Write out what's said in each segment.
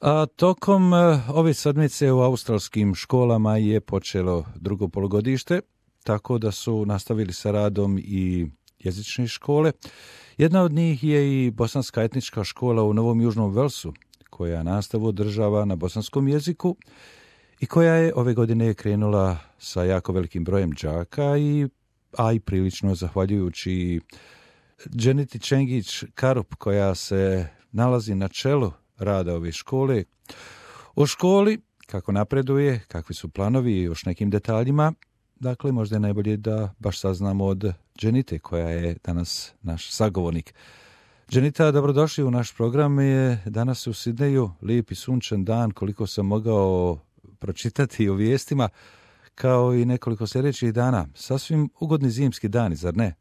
A tokom ove sedmice u australskim školama je počelo drugo polugodište, tako da su nastavili sa radom i jezične škole. Jedna od njih je i bosanska etnička škola u Novom Južnom Velsu, koja nastavu održava na bosanskom jeziku i koja je ove godine krenula sa jako velikim brojem đaka, a i prilično zahvaljujući Dženiti Čengić Karup, koja se nalazi na čelu rada ove škole. O školi, kako napreduje, kakvi su planovi i još nekim detaljima, dakle možda je najbolje da baš saznamo od Dženite, koja je danas naš sagovornik. Dženita, dobrodošli u naš program. Je danas u Sidneju lijep i sunčan dan, koliko sam mogao pročitati u vijestima, kao i nekoliko sljedećih dana. Sasvim ugodni zimski dani, zar ne?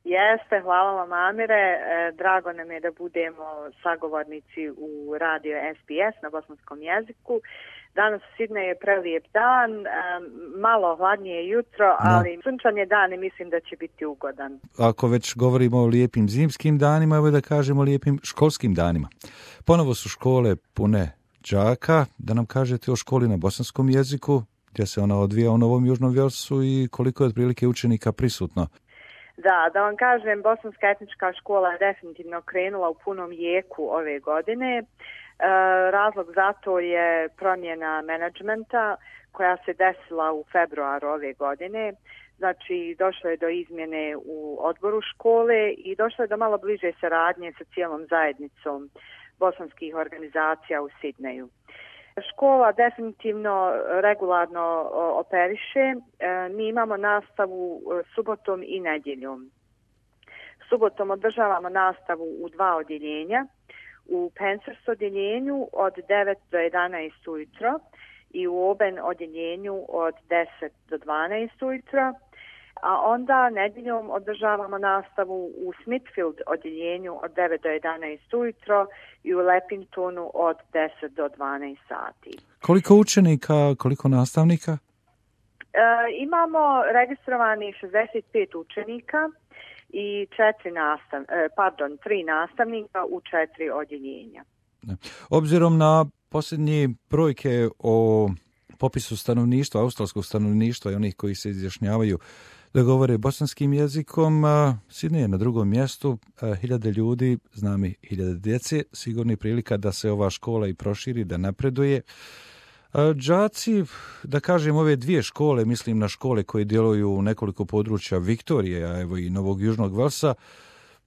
Jeste, hvala vam Amire. Drago nam je da budemo sagovornici u radio SBS na bosanskom jeziku. Danas u Sidneju je prelijep dan, malo hladnije jutro, ali sunčan je dan i mislim da će biti ugodan. Ako već govorimo o lijepim zimskim danima, evo da kažemo o lijepim školskim danima. Ponovo su škole pune đaka. Da nam kažete o školi na bosanskom jeziku, gdje se ona odvija u Novom Južnom Velsu i koliko je otprilike učenika prisutno. Da vam kažem, bosanska etnička škola je definitivno krenula u punom jeku ove godine. Razlog za to je promjena menadžmenta koja se desila u februaru ove godine. Znači, došlo je do izmjene u odboru škole i došlo je do malo bliže saradnje sa cijelom zajednicom bosanskih organizacija u Sidneju. Škola definitivno regularno operiše. Mi imamo nastavu subotom i nedjeljom. Subotom održavamo nastavu u 2 odjeljenja. U Pensers odjeljenju od 9 do 11 ujutro i u Oben odjeljenju od 10 do 12 ujutro. A onda nedjeljom održavamo nastavu u Smithfield odjeljenju od 9 do 11 ujutro i u Lepingtonu od 10 do 12 sati. Koliko učenika, koliko nastavnika? Imamo registrovani 65 učenika i 3 nastavnika u 4 odjeljenja. Obzirom na posljednje brojke o popisu stanovništva, australskog stanovništva i onih koji se izjašnjavaju da govore bosanskim jezikom, Sidney je na drugom mjestu, 1000 ljudi, znam i 1000 djece, sigurno je prilika da se ova škola i proširi, da napreduje. Đaci, da kažem, ove 2 škole, mislim na škole koje djeluju u nekoliko područja Viktorije, a evo i Novog Južnog Velsa,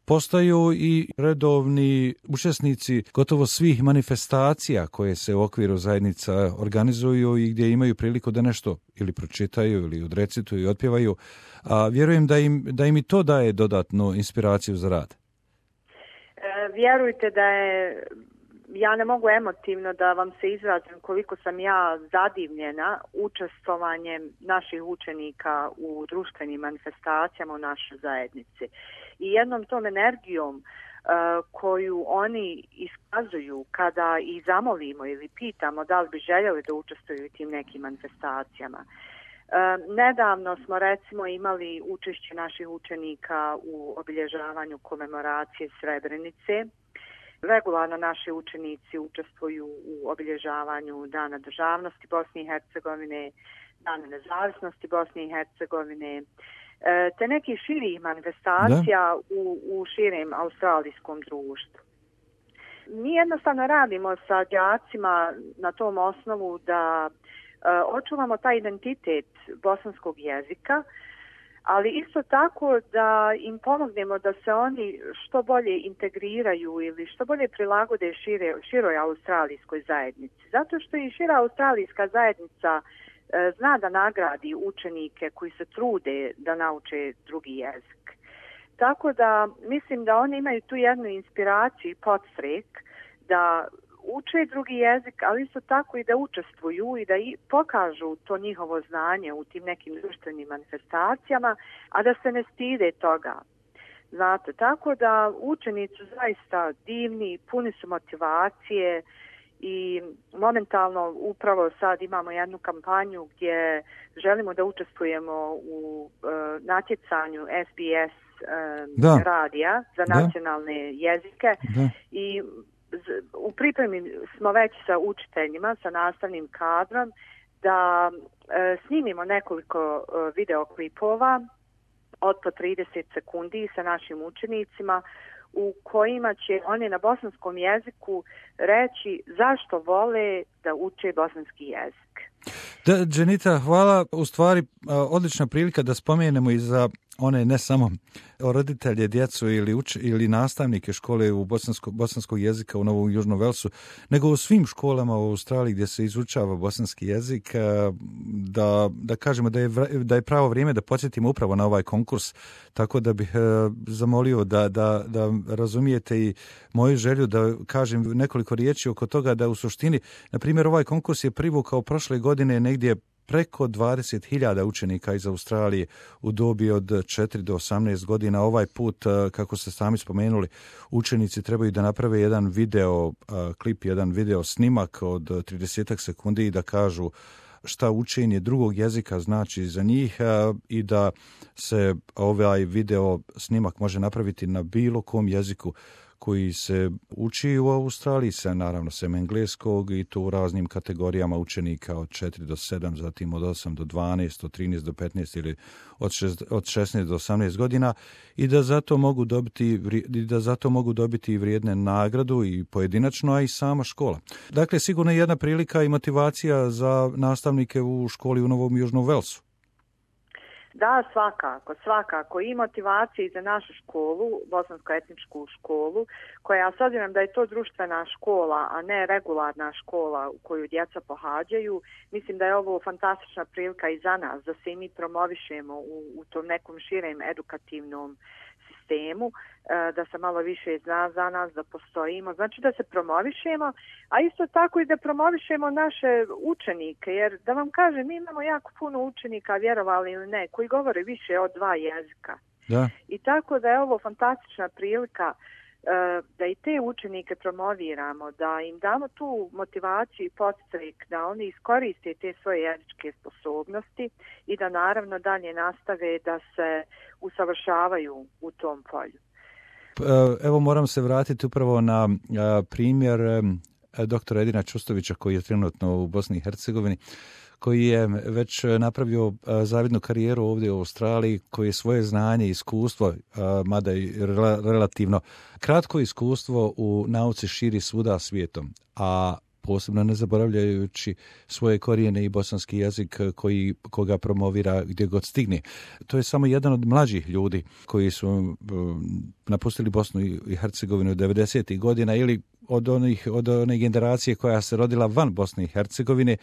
postaju i redovni učesnici gotovo svih manifestacija koje se u okviru zajednica organizuju i gdje imaju priliku da nešto ili pročitaju ili odrecituju i otpjevaju. A vjerujem da im i to daje dodatnu inspiraciju za rad. Vjerujte da je, ja ne mogu emotivno da vam se izrazim koliko sam ja zadivljena učestvovanjem naših učenika u društvenim manifestacijama u našoj zajednici. I jednom tom energijom koju oni iskazuju kada ih zamolimo ili pitamo da li bi željeli da učestvuju u tim nekim manifestacijama. Nedavno smo recimo imali učešće naših učenika u obilježavanju komemoracije Srebrenice. Regularno naši učenici učestvuju u obilježavanju Dana državnosti Bosne i Hercegovine, Dana nezavisnosti Bosne i Hercegovine, te nekih širih manifestacija u širem australijskom društvu. Mi jednostavno radimo sa đacima na tom osnovu da očuvamo taj identitet bosanskog jezika, ali isto tako da im pomognemo da se oni što bolje integriraju ili što bolje prilagode široj australijskoj zajednici. Zato što i šira australijska zajednica zna da nagradi učenike koji se trude da nauče drugi jezik. Tako da mislim da oni imaju tu jednu inspiraciju i podstrek da uče drugi jezik, ali isto tako i da učestvuju i da pokažu to njihovo znanje u tim nekim društvenim manifestacijama, a da se ne stide toga. Znate, tako da učenici su zaista divni, puni su motivacije i momentalno upravo sad imamo jednu kampanju gdje želimo da učestvujemo u natjecanju SBS radija za nacionalne jezike i u pripremi smo već sa učiteljima, sa nastavnim kadrom, da snimimo nekoliko videoklipova od po 30 sekundi sa našim učenicima u kojima će oni na bosanskom jeziku reći zašto vole da uče bosanski jezik. Da, Dženita, hvala. U stvari, odlična prilika da spomenemo i za one ne samo roditelje, djecu ili nastavnike škole u bosanskog jezika u Novom Južnom Velsu, nego u svim školama u Australiji gdje se izučava bosanski jezik, da kažemo da je pravo vrijeme da podsjetimo upravo na ovaj konkurs, tako da bih zamolio da razumijete i moju želju da kažem nekoliko riječi oko toga, da u suštini, na primjer, ovaj konkurs je privukao prošle godine negdje preko 20.000 učenika iz Australije u dobi od 4 do 18 godina. Ovaj put, kako ste sami spomenuli, učenici trebaju da naprave jedan video klip, jedan video snimak od 30 sekundi i da kažu šta učenje drugog jezika znači za njih i da se ovaj video snimak može napraviti na bilo kom jeziku koji se uči u Australiji, naravno sem engleskog, i to u raznim kategorijama učenika od 4 do 7, zatim od 8 do 12, od 13 do 15 ili od 16 do 18 godina, i da zato mogu dobiti vrijedne nagradu i pojedinačno, a i sama škola. Dakle, sigurno je jedna prilika i motivacija za nastavnike u školi u Novom Južnom Velsu. Da, svakako i motivacija za našu školu, bosansko-etničku školu, koja, s obzirom da je to društvena škola, a ne regularna škola u koju djeca pohađaju, mislim da je ovo fantastična prilika i za nas, da se i mi promovišemo u tom nekom širem edukativnom sistemu, da se malo više zna za nas, da postojimo, znači da se promovišemo, a isto tako i da promovišemo naše učenike, jer da vam kažem, mi imamo jako puno učenika, vjerovali ili ne, koji govore više od 2 jezika. Da. I tako da je ovo fantastična prilika da i te učenike promoviramo, da im damo tu motivaciju i podsticaj da oni iskoriste te svoje jezičke sposobnosti i da naravno dalje nastave da se usavršavaju u tom polju. Evo, moram se vratiti upravo na primjer doktora Edina Čustovića, koji je trenutno u Bosni i Hercegovini, koji je već napravio zavidnu karijeru ovdje u Australiji, koji je svoje znanje i iskustvo, mada i relativno kratko iskustvo u nauci širi svuda svijetom, a posebno ne zaboravljajući svoje korijene i bosanski jezik koga promovira gdje god stigne. To je samo jedan od mlađih ljudi koji su napustili Bosnu i Hercegovinu 90. godina ili od one generacije koja se rodila van Bosne i Hercegovine,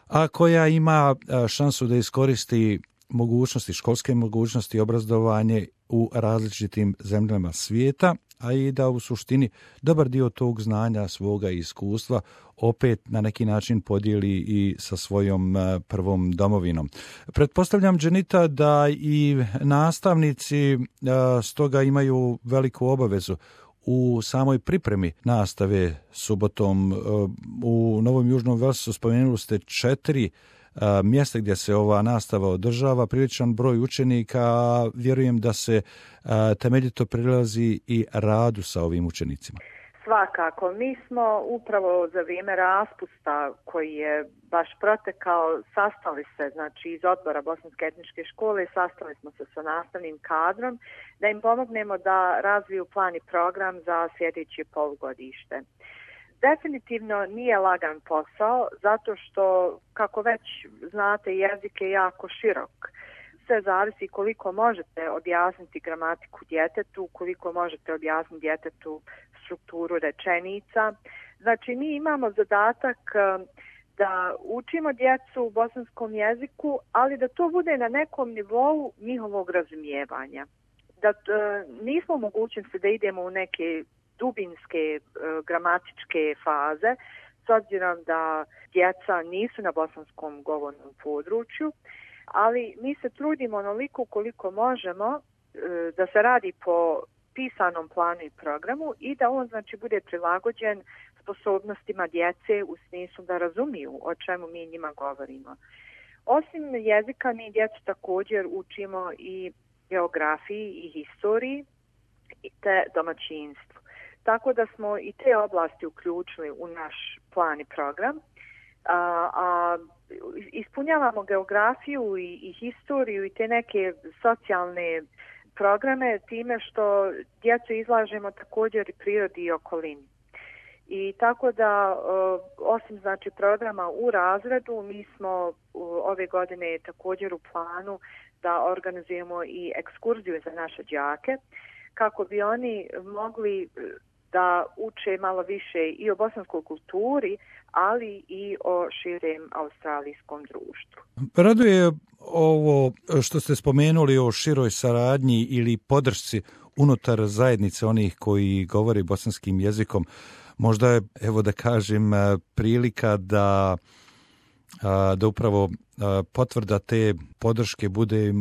a koja ima šansu da iskoristi mogućnosti, školske mogućnosti, obrazovanje u različitim zemljama svijeta, a i da u suštini dobar dio tog znanja, svoga iskustva opet na neki način podijeli i sa svojom prvom domovinom. Pretpostavljam, Dženita, da i nastavnici stoga imaju veliku obavezu u samoj pripremi nastave subotom. U Novom Južnom Velsu spomenuli ste 4 mjesta gdje se ova nastava održava, priličan broj učenika, vjerujem da se temeljito prilazi i radu sa ovim učenicima. Svakako, mi smo upravo za vrijeme raspusta koji je baš protekao, sastali se, znači iz odbora Bosanske etničke škole, sastali smo se sa nastavnim kadrom da im pomognemo da razviju plan i program za sljedeće polugodište. Definitivno nije lagan posao, zato što, kako već znate, jezik je jako širok. Sve zavisi koliko možete objasniti gramatiku djetetu, koliko možete objasniti djetetu strukturu rečenica. Znači, mi imamo zadatak da učimo djecu u bosanskom jeziku, ali da to bude na nekom nivou njihovog razumijevanja. Da nismo mogućnosti da idemo u neke dubinske gramatičke faze, s obzirom da djeca nisu na bosanskom govornom području, ali mi se trudimo onoliko koliko možemo da se radi po pisanom planu i programu i da on, znači, bude prilagođen sposobnostima djece u smislu da razumiju o čemu mi njima govorimo. Osim jezika, mi djecu također učimo i geografiji i historiji te domaćinstvu. tako da smo i te oblasti uključili u naš plan i program. A ispunjavamo geografiju i historiju i te neke socijalne programe time što djecu izlažemo također i prirodi i okolini. I tako da osim znači programa u razredu, mi smo ove godine također u planu da organizujemo i ekskurziju za naše đake kako bi oni mogli da uče malo više i o bosanskoj kulturi, ali i o širem australijskom društvu. Raduje ovo što ste spomenuli o široj saradnji ili podršci unutar zajednice onih koji govore bosanskim jezikom. Možda je, evo da kažem, prilika da upravo potvrda te podrške bude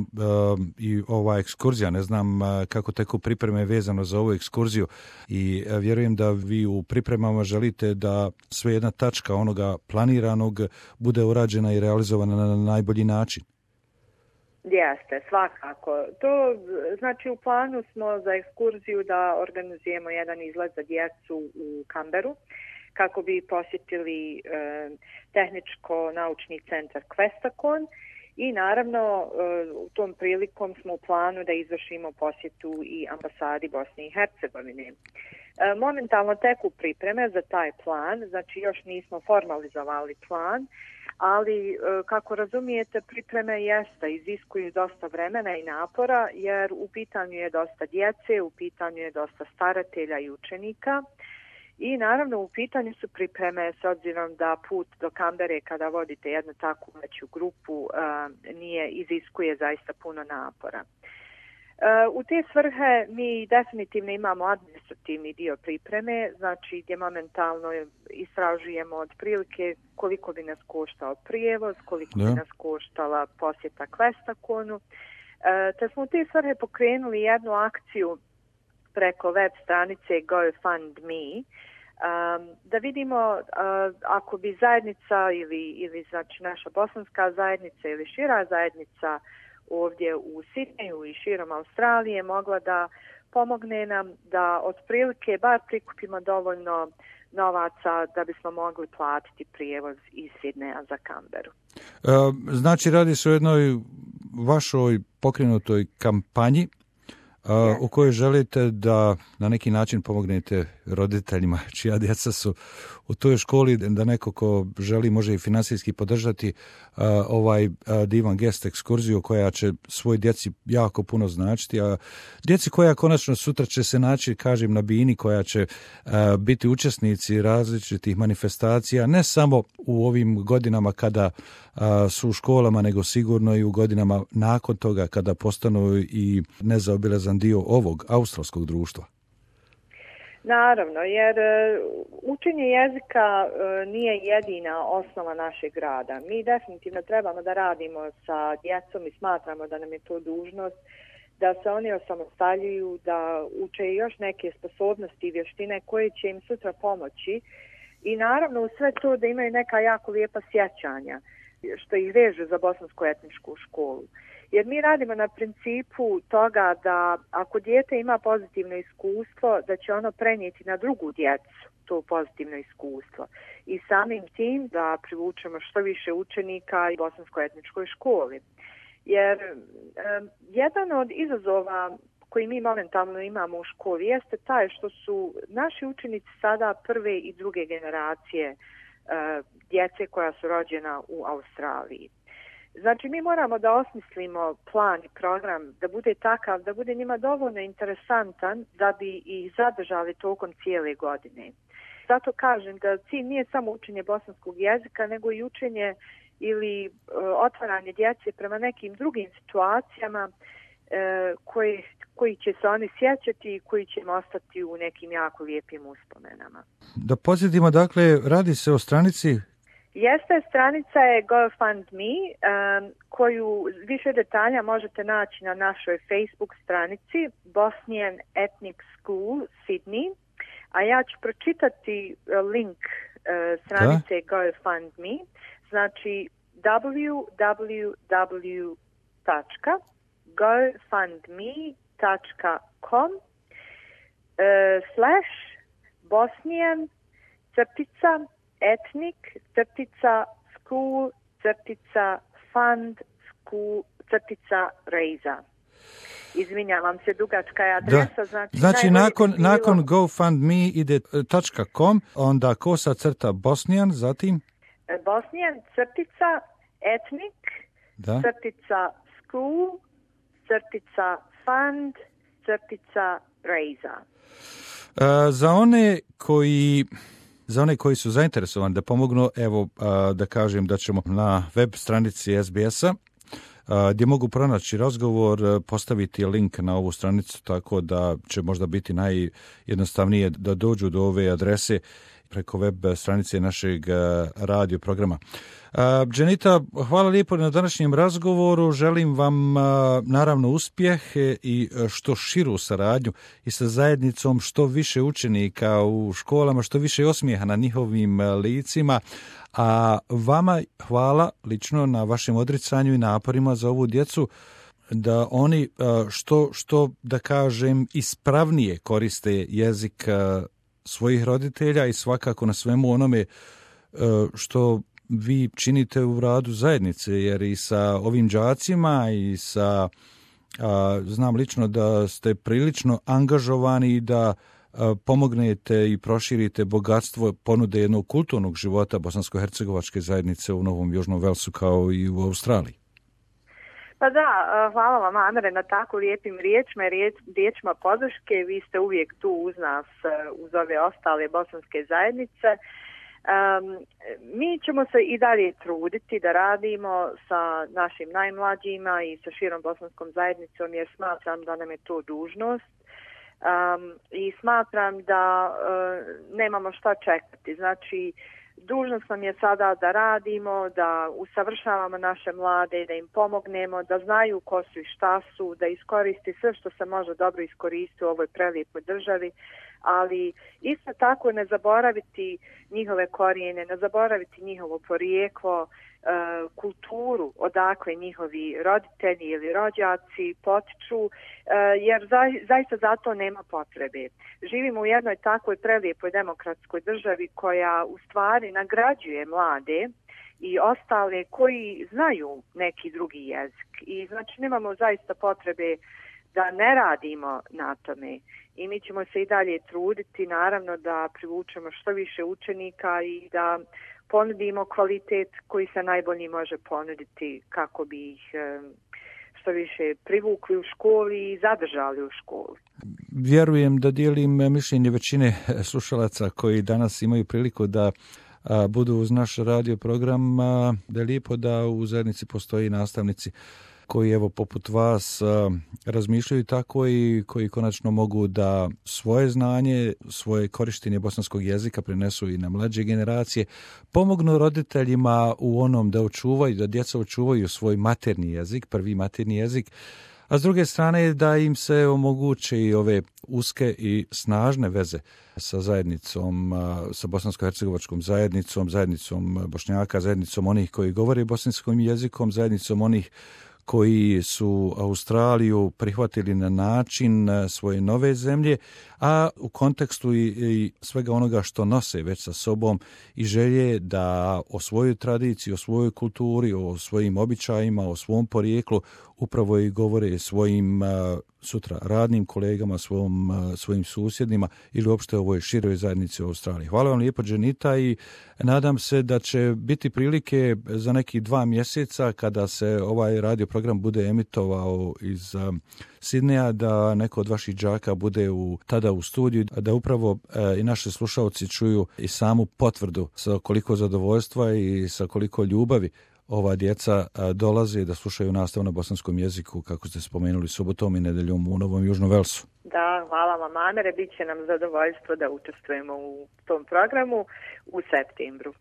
i ova ekskurzija. Ne znam kako teku pripreme vezano za ovu ekskurziju i vjerujem da vi u pripremama želite da sve jedna tačka onoga planiranog bude urađena i realizovana na najbolji način. Jeste, svakako. To znači u planu smo za ekskurziju da organizujemo jedan izlet za djecu u Canberru kako bi posjetili tehničko-naučni centar Questacon i naravno u tom prilikom smo u planu da izvršimo posjetu i ambasadi Bosne i Hercegovine. Momentalno teku pripreme za taj plan, znači još nismo formalizovali plan, ali kako razumijete pripreme iziskuju dosta vremena i napora jer u pitanju je dosta djece, u pitanju je dosta staratelja i učenika. I naravno u pitanju su pripreme s obzirom da put do Canberre kada vodite jednu takvu veću grupu iziskuje zaista puno napora. U te svrhe mi definitivno imamo administrativni dio pripreme, znači gdje momentalno istražujemo otprilike koliko bi nas koštao prijevoz, koliko bi nas koštala posjeta Questaconu. Te smo u te svrhe pokrenuli jednu akciju preko web stranice GoFundMe, da vidimo ako bi zajednica ili znači naša bosanska zajednica ili šira zajednica ovdje u Sidneju i širom Australije mogla da pomogne nam da otprilike bar prikupimo dovoljno novaca da bismo mogli platiti prijevoz iz Sidneja za Canberru. Znači radi se o jednoj vašoj pokrenutoj kampanji u kojoj želite da na neki način pomognete roditeljima čija djeca su u toj školi, da neko ko želi može i financijski podržati ovaj divan gest ekskurziju koja će svoj djeci jako puno značiti, a djeci koja konačno sutra će se naći, kažem, na bini, koja će biti učesnici različitih manifestacija, ne samo u ovim godinama kada su u školama, nego sigurno i u godinama nakon toga kada postanu i nezaobilazan dio ovog australskog društva. Naravno, jer učenje jezika nije jedina osnova našeg rada. Mi definitivno trebamo da radimo sa djecom i smatramo da nam je to dužnost da se oni osamostaljuju, da uče još neke sposobnosti i vještine koje će im sutra pomoći i naravno u sve to da imaju neka jako lijepa sjećanja što ih veže za bosansku etničku školu. Jer mi radimo na principu toga da ako dijete ima pozitivno iskustvo, da će ono prenijeti na drugu djecu to pozitivno iskustvo. I samim tim da privučemo što više učenika u bosanskoj etničkoj školi. Jer jedan od izazova koji mi momentalno imamo u školi jeste taj što su naši učenici sada prve i druge generacije djece koja su rođena u Australiji. Znači mi moramo da osmislimo plan i program da bude takav, da bude njima dovoljno interesantan da bi ih zadržali tokom cijele godine. Zato kažem da cilj nije samo učenje bosanskog jezika, nego i učenje ili otvaranje djece prema nekim drugim situacijama koji će se oni sjećati i koji će im ostati u nekim jako lijepim uspomenama. Da podsjetimo, dakle, radi se o stranici. Jeste, stranica je GoFundMe, koju više detalja možete naći na našoj Facebook stranici Bosnian Ethnic School Sydney, a ja ću pročitati link stranice GoFundMe, znači www.gofundme.com / Bosnian ethnic school fund school raiza. Izvinjavam se, dugačka je adresa. Znači nakon GoFundMe ide .com, onda _Bosnian, zatim? Bosnian ethnic school fund raiza. Za one koji su zainteresovani da pomognu, evo da kažem da ćemo na web stranici SBS-a gdje mogu pronaći razgovor, postaviti link na ovu stranicu, tako da će možda biti najjednostavnije da dođu do ove adrese preko web stranice našeg radio programa. Dženita, hvala lijepo na današnjem razgovoru. Želim vam naravno uspjeh i što širu saradnju i sa zajednicom, što više učenika u školama, što više osmijeha na njihovim licima. A vama hvala lično na vašem odricanju i naporima za ovu djecu, da oni što da kažem ispravnije koriste jezik svojih roditelja i svakako na svemu onome što vi činite u radu zajednice, jer i sa ovim đacima i sa znam lično da ste prilično angažovani i da pomognete i proširite bogatstvo ponude jednog kulturnog života bosansko-hercegovačke zajednice u Novom Južnom Velsu kao i u Australiji. Pa da, hvala vam, Amere, na tako lijepim riječima podrške. Vi ste uvijek tu uz nas, uz ove ostale bosanske zajednice. Mi ćemo se i dalje truditi da radimo sa našim najmlađima i sa širom bosanskom zajednicom, jer smatram da nam je to dužnost. I smatram da nemamo šta čekati. Znači, dužnost nam je sada da radimo, da usavršavamo naše mlade, da im pomognemo, da znaju ko su i šta su, da iskoristi sve što se može dobro iskoristiti u ovoj prelijepoj državi, ali isto tako ne zaboraviti njihove korijene, ne zaboraviti njihovo porijeklo, kulturu odakle njihovi roditelji ili rođaci potiču, jer zaista za to nema potrebe. Živimo u jednoj takvoj prelijepoj demokratskoj državi koja u stvari nagrađuje mlade i ostale koji znaju neki drugi jezik. I znači nemamo zaista potrebe da ne radimo na tome. I mi ćemo se i dalje truditi, naravno, da privučemo što više učenika i da ponudimo kvalitet koji se najbolji može ponuditi kako bi ih što više privukli u školi i zadržali u školi. Vjerujem da dijelim mišljenje većine slušalaca koji danas imaju priliku da budu uz naš radio program, da je lijepo da u zajednici postoji nastavnici koji evo poput vas razmišljaju tako i koji konačno mogu da svoje znanje, svoje korištenje bosanskog jezika prenesu i na mlađe generacije, pomognu roditeljima u onom da očuvaju, da djeca očuvaju svoj maternji jezik, prvi maternji jezik, a s druge strane da im se omoguće i ove uske i snažne veze sa zajednicom, sa bosansko-hercegovačkom zajednicom Bošnjaka, zajednicom onih koji govore bosanskim jezikom, zajednicom onih koji su Australiju prihvatili na način svoje nove zemlje, a u kontekstu i svega onoga što nose već sa sobom i želje da o svojoj tradiciji, o svojoj kulturi, o svojim običajima, o svom porijeklu upravo i govore svojim sutra radnim kolegama, svojim susjedima ili uopšte ovoj široj zajednici u Australiji. Hvala vam lijepo, Dženita, i nadam se da će biti prilike za nekih 2 mjeseca kada se ovaj radio program bude emitovao iz Sidneja, da neko od vaših đaka bude tada u studiju, da upravo i naši slušalci čuju i samu potvrdu sa koliko zadovoljstva i sa koliko ljubavi ova djeca dolaze da slušaju nastavu na bosanskom jeziku, kako ste spomenuli, subotom i nedeljom u Novom Južnom Velsu. Da, hvala vam, Amere, bit će nam zadovoljstvo da učestvujemo u tom programu u septembru.